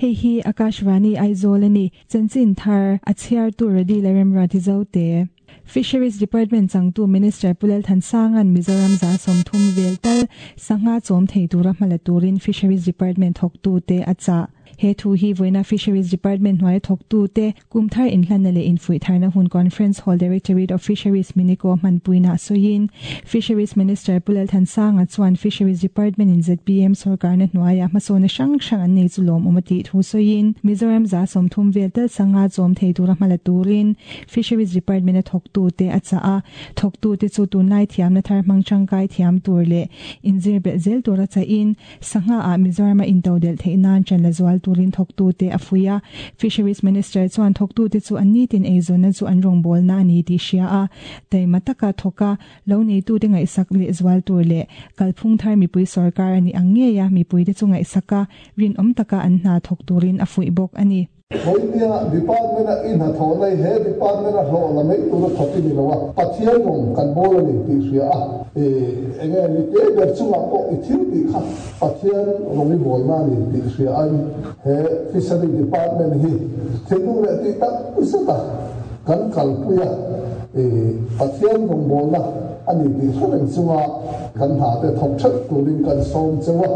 Hei hi Akashvani Aizawl a ni. Chanchin thar a chhiartu Rody Lalremruati Zote. Fisheries Department changtu Minister Pu Lalthansanga'n Mizoram 30% vel tal sangha chawm thei tura hmala turin Fisheries Department thawktute a chah. He thu hi vawiina Fisheries Department hnuaia thawktute kum thar inhlanna leh infuih tharna hun Conference Hall Directorate of Fisheries Miniko hmanpuina a sawiin Fisheries Minister Pu Lalthansanga chuan Fisheries Department in zpm sorkarna hnuaia hmasawnna hrang hrang an nei chu lawmawm a tih thu sawiin Mizoram 30% vel tal sangha chawm thei tura hmala turin Fisheries Department a thawktute a chah a, thawktute chu tunlai thiamna thar hmang tangkai thiam tur leh inzir belh zel tura chahin Sangha ah Mizoram a intodelh theih nan ṭan la zual turin thawktute a fuih a. Fisheries Minister chuan thawktute chu an nitin eizawnna chu an rawngbawlna a ni tih hria a, taima taka thawk a, lo neitute ngaihsak leh zual tur leh kalphung thar mipui sorkar a nih ang ngei a mipuite chu ngaihsak a, rinawm taka an hna thawk turin a fuih bawk a ni. Vawinia department a i hnathawh na hi he department a hlawh la mai tura thawk i ni lo a, Pathian rawng kan bawl a ni tih hria a, i enge ni te ber chungah pawh i thil tih kha Pathian rawng i bawl na a ni tih hria a in he fishery department hi thinlung leh tih tak zet a kan kalpui a, i Pathian rawng bawl na a ni tih hre reng chunga kan hna te thawk ṭhelh turin kan sawm cheu a.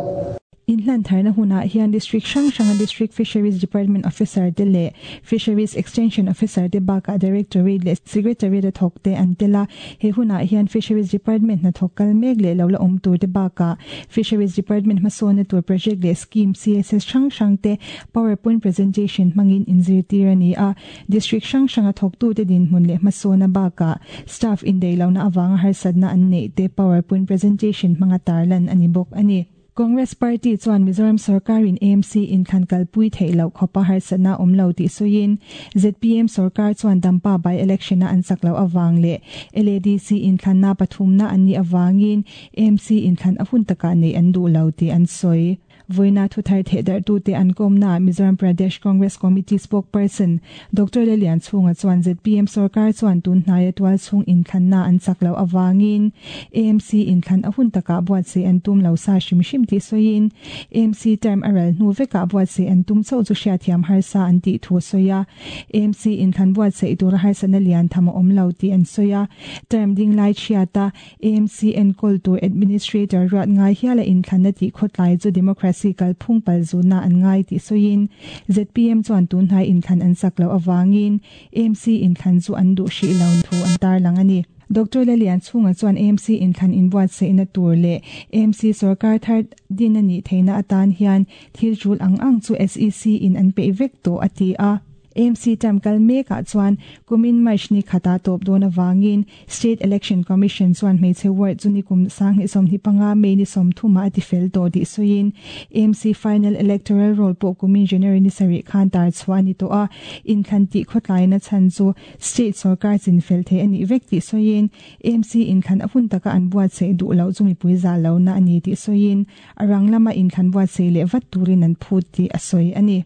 Inhlan tharna hunah hian District hrang hranga District Fisheries Department Officer te leh Fisheries Extension Officer te bakah Directorate leh Secretariat a thawk te an tel a. He hunah hian Fisheries Department hnathawk kal mek leh lo la awm tur te bakah Fisheries Department hmasawnna tur project leh scheme CSS hrang hrang te PowerPoint presentation hmangin inzirtir a ni a. District hrang hranga thawktute dinhmun leh hmasawna bakah staff indaihlohna avanga harsatna an neih te PowerPoint presentation hmanga tarlan a ni bawk a ni. Congress Party chuan Mizoram sorkarin AMC inthlan kalpui theih loh khawpa harsatna awm lo tih sawiin zpm sorkar chuan Dampa by-election-a an chak loh avang leh LADC inthlanna pathumna an nih avangin AMC inthlan a hun takah neih an duh lo tih an sawi. Vawiina thuthar thehdarhtute an kawmnaah Mizoram Pradesh Congress Committee spokesperson Doctor Lalianchhunga chuan zpm sorkar chuan tun hnaia tualchhung inthlanna an chak loh avangin AMC inthlan a hun takah buatsaih an tum lo sa hrim hrim tih sawiin AMC term a ral hnu vekah buatsaih an tum chauh chu hriatthiam harsa an tih thu a sawi a. AMC inthlan buatsaih tura harsatna lian tham a awm lo tih an sawi a. Term ding lai chhiata AMC enkawl tur Administrator ruat ngai hiala inthlanna tih khawtlai chu democracy kalphung palzutna an ngai tih sawiin zpm chuan tunhnai inthlan an chak loh avangin AMC inthlan chu an duh hrih lo thu an tarlang a ni. Doctor Lalianchhunga chuan AMC inthlan inbuatsaihna tur leh AMC sorkar thar din a nih theihna atan hian thil tul ang ang chu SEC in an peih vek tawh a ti a. AMC term kal mekah chuan kumin March ni khatah tawp dawn avangin State Election Commission chuan hmeichhe ward chu nikum 2025 May ni 30 ah a tifel tawh tih sawiin AMC final electoral roll pawh kumin January ni sarih khan tar chhuah a ni tawh a, inthlan tih khawtlaina chhan chu State sorkar chinfel thei a nih vek tih sawiin AMC inthlan a hun taka an buatsaih duh loh chu mipui zah lohna a ni tih sawiin a rang lama inthlan buatsaih leh vat turin an phut tih a sawi a ni.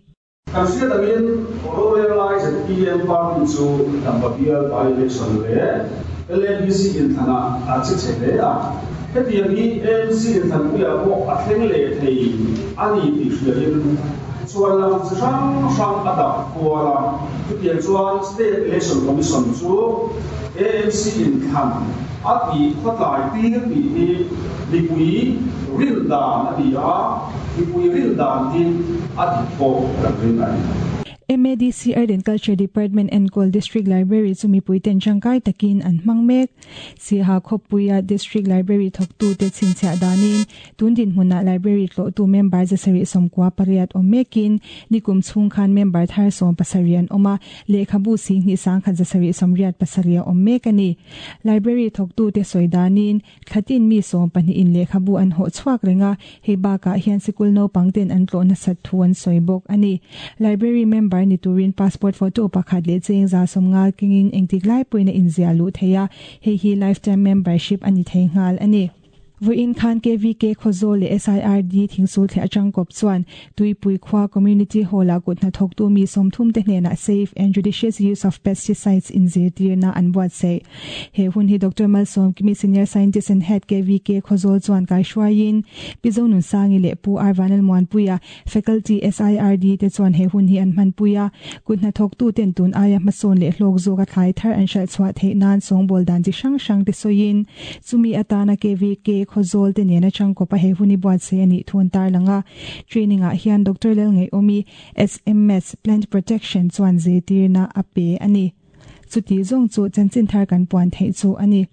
Kan hriat angin rorel lai zpm party chu Dampa bial by-election leh LADC inthlanah a che chhe hle a. Hetiang hi AMC inthlanpuiah pawh a thleng leh thei a ni tih hriain chuan lam chi hrang hrang a dap kual a. Chutiang chuan State Election Commission chu AMC inthlan a tih khawtlai tir tih hi mipui rin dan a ni a. Mipui rin dan hi a dik pawh kan ring a ni. MADC Art and Culture Department enkawl District Library chu mipui ten tangkai takin an hmang mek. Siaha khawpuia District Library thawktute chhinchhiah danin tun dinhmunah Library tlawhtu member 798 awm mekin nikum chhung khan member thar 17 an awm a, lehkhabu 21,787 a awm mek a ni. Library thawktute sawi danin Thlatin mi 12 in lehkhabu an hawh chhuak reng a, hei bakah hian sikul naupang ten an tlawh nasat thu an sawi bawk a ni. Library member ni turin passport photo pakhat leh cheng 150 kengin engtik lai pawhin a inziah luh thei a, hei hi lifetime membership a ni thei nghal a ni. Vawiin khan KVK Khawzawl leh SIRD Thingsulthliah atang kawp chuan Tuipui khua Community Hall-ah kut hnathawktu mi 30 te hnenah Safe and Judicious Use of Pesticides inzirtirna an buatsaih. He hun hi Doctor Malsawmkimi Senior Scientist and Head KVK Khawzawl chuan kaihruaiin Pi Zonunsangi leh Pu R Vanlalmuanpuia Faculty SIRD te chuan he hun hi an hmanpui a, kut hnathawktu ten tun aia hmasawn leh hlawk zawka thlai thar an hralh chhuah theih nan sawngbawl dan chi hrang hrang te sawiin chumi atana KVK Khawzawl te nena changkawpa he hun hi buatsaih a nih thu an tarlang a. Training ah hian Doctor Lalngaihawmi, SMS, Plant Protection chuan zirtirna a pe a ni. Chuti zawng chu chanchin thar kan puan theih chu a ni.